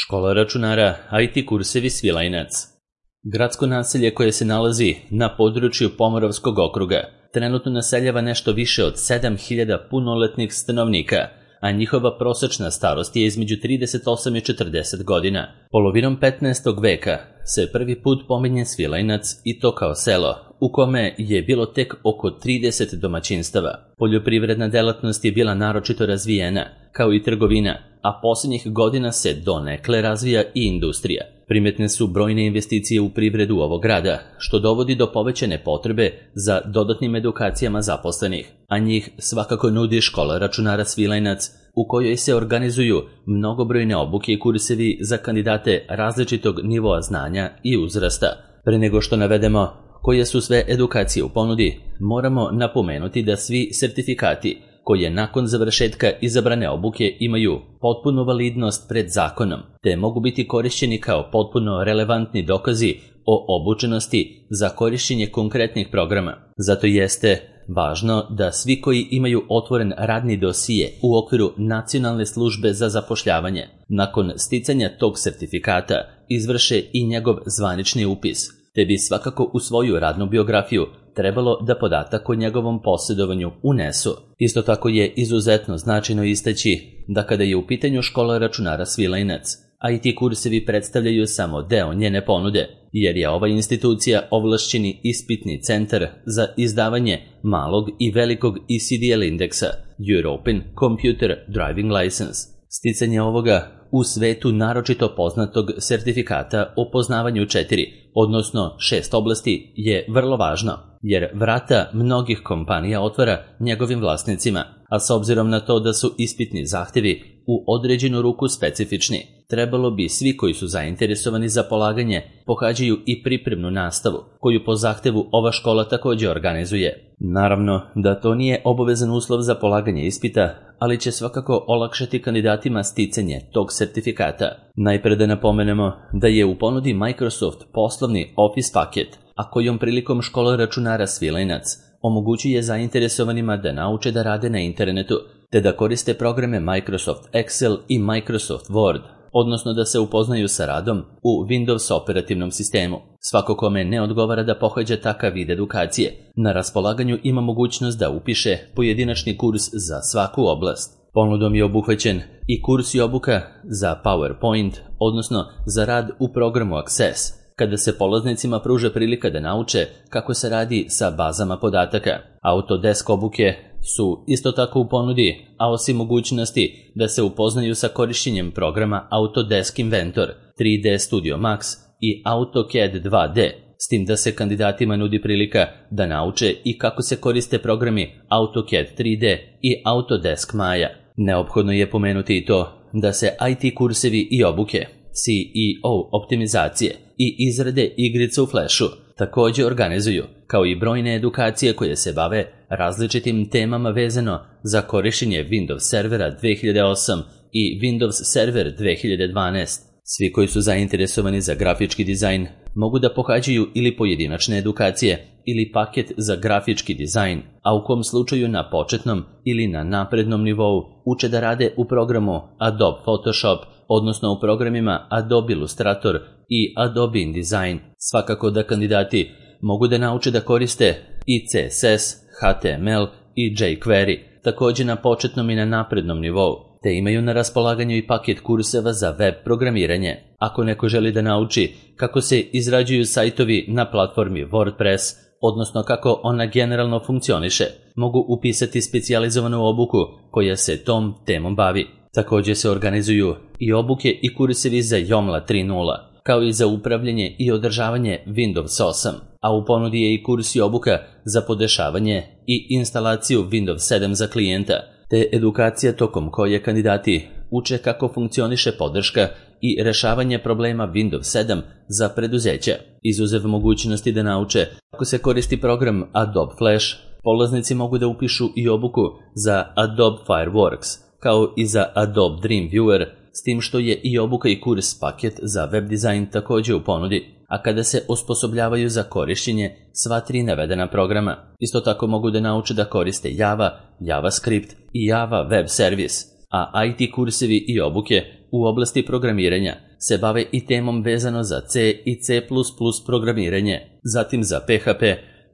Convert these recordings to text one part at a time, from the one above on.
Škola računara, IT kursevi Svilajnac. Gradsko naselje koje se nalazi na području Pomoravskog okruga trenutno naseljava nešto više od 7000 punoletnih stanovnika, a njihova prosečna starost je između 38 i 40 godina. Polovinom 15. veka se prvi put pominje Svilajnac i to kao selo, u kome je bilo tek oko 30 domaćinstava. Poljoprivredna delatnost je bila naročito razvijena, kao i trgovina, a posljednjih godina se donekle razvija i industrija. Primetne su brojne investicije u privredu ovog grada, što dovodi do povećane potrebe za dodatnim edukacijama zaposlenih, a njih svakako nudi škola računara Svilajnac, u kojoj se organizuju mnogobrojne obuke i kursevi za kandidate različitog nivoa znanja i uzrasta. Pre nego što navedemo koje su sve edukacije u ponudi, moramo napomenuti da svi sertifikati koje nakon završetka izabrane obuke imaju potpunu validnost pred zakonom, te mogu biti korišćeni kao potpuno relevantni dokazi o obučenosti za korišćenje konkretnih programa. Zato jeste važno da svi koji imaju otvoren radni dosije u okviru Nacionalne službe za zapošljavanje, nakon sticanja tog sertifikata izvrše i njegov zvanični upis, te bi svakako u svoju radnu biografiju trebalo da podatak o njegovom posjedovanju unesu. Isto tako je izuzetno značajno istaći da kada je u pitanju škola računara Svilajnac, IT kursevi predstavljaju samo deo njene ponude, jer je ova institucija ovlašćeni ispitni centar za izdavanje malog i velikog ECDL indeksa, European Computer Driving License. Sticanje ovoga u svetu naročito poznatog sertifikata o poznavanju 4, odnosno 6 oblasti je vrlo važno, jer vrata mnogih kompanija otvara njegovim vlasnicima, a s obzirom na to da su ispitni zahtevi u određenu ruku specifični, trebalo bi svi koji su zainteresovani za polaganje pohađaju i pripremnu nastavu, koju po zahtevu ova škola također organizuje. Naravno da to nije obavezan uslov za polaganje ispita, ali će svakako olakšati kandidatima sticanje tog sertifikata. Najpre da napomenemo da je u ponudi Microsoft poslovni Office paket, a kojom prilikom škola računara Svilajnac omogućuje zainteresovanima da nauče da rade na internetu, te da koriste programe Microsoft Excel i Microsoft Word, odnosno da se upoznaju sa radom u Windows operativnom sistemu. Svako kome ne odgovara da pohađa takav vid edukacije, na raspolaganju ima mogućnost da upiše pojedinačni kurs za svaku oblast. Ponudom je obuhvaćen i kurs i obuka za PowerPoint, odnosno za rad u programu Access, kada se polaznicima pruža prilika da nauče kako se radi sa bazama podataka. Autodesk obuke su isto tako u ponudi, a osim mogućnosti da se upoznaju sa korišćenjem programa Autodesk Inventor, 3D Studio Max i AutoCAD 2D, s tim da se kandidatima nudi prilika da nauče i kako se koriste programi AutoCAD 3D i Autodesk Maya. Neophodno je pomenuti i to da se IT kursevi i obuke, CEO optimizacije i izrade igrica u Flashu također organizuju, kao i brojne edukacije koje se bave različitim temama vezano za korištenje Windows Servera 2008 i Windows Server 2012. Svi koji su zainteresovani za grafički dizajn mogu da pohađaju ili pojedinačne edukacije ili paket za grafički dizajn, a u kom slučaju na početnom ili na naprednom nivou uče da rade u programu Adobe Photoshop, odnosno u programima Adobe Illustrator i Adobe InDesign. Svakako da kandidati mogu da nauče da koriste i CSS, HTML i jQuery, također na početnom i na naprednom nivou, te imaju na raspolaganju i paket kurseva za web programiranje. Ako neko želi da nauči kako se izrađuju sajtovi na platformi WordPress, odnosno kako ona generalno funkcioniše, mogu upisati specijalizovanu obuku koja se tom temom bavi. Također se organizuju i obuke i kursevi za Joomla 3.0, kao i za upravljanje i održavanje Windows 8, a u ponudi je i kurs i obuka za podešavanje i instalaciju Windows 7 za klijenta, te edukacija tokom koje kandidati uče kako funkcioniše podrška i rešavanje problema Windows 7 za preduzeća. Izuzev mogućnosti da nauče kako se koristi program Adobe Flash, polaznici mogu da upišu i obuku za Adobe Fireworks, kao i za Adobe Dreamweaver, s tim što je i obuka i kurs paket za web dizajn također u ponudi, a kada se osposobljavaju za korišćenje sva 3 navedena programa. Isto tako mogu da nauče da koriste Java, JavaScript i Java Web Service. a IT kursevi i obuke u oblasti programiranja se bave i temom vezano za C i C++ programiranje, zatim za PHP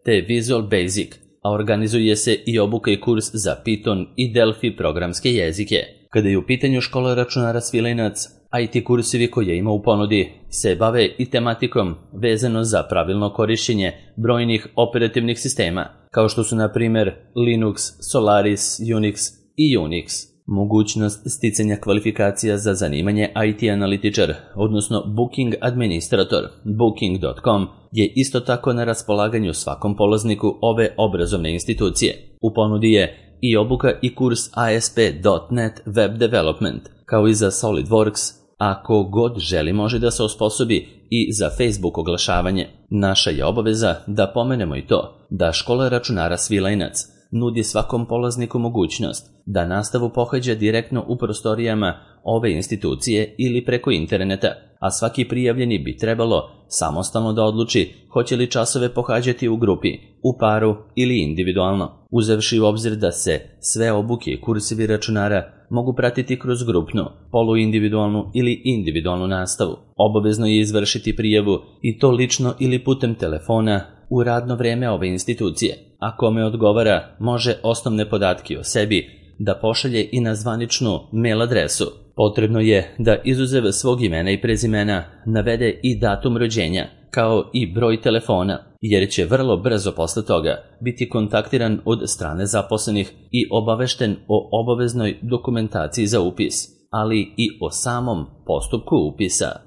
te Visual Basic, a organizuje se i obuka i kurs za Python i Delphi programske jezike. Kada je u pitanju škola računara Svilajnac, IT kursevi koje ima u ponudi se bave i tematikom vezano za pravilno korišćenje brojnih operativnih sistema, kao što su na primjer Linux, Solaris, Unix i Unix. Mogućnost sticanja kvalifikacija za zanimanje IT analitičar, odnosno Booking administrator, Booking.com, je isto tako na raspolaganju svakom polazniku ove obrazovne institucije. U ponudi je i obuka i kurs ASP.NET Web Development, kao i za SolidWorks, a ko god želi može da se osposobi i za Facebook oglašavanje. Naša je obaveza da pomenemo i to da škola računara Svilajnac nudi svakom polazniku mogućnost da nastavu pohađa direktno u prostorijama ove institucije ili preko interneta, a svaki prijavljeni bi trebalo samostalno da odluči hoće li časove pohađati u grupi, u paru ili individualno, uzevši u obzir da se sve obuke i kursevi računara mogu pratiti kroz grupnu, poluindividualnu ili individualnu nastavu. Obavezno je izvršiti prijavu i to lično ili putem telefona u radno vreme ove institucije, a kome odgovara može osnovne podatke o sebi da pošalje i na zvaničnu mail adresu. Potrebno je da izuzev svog imena i prezimena navede i datum rođenja, kao i broj telefona, jer će vrlo brzo posle toga biti kontaktiran od strane zaposlenih i obavešten o obaveznoj dokumentaciji za upis, ali i o samom postupku upisa.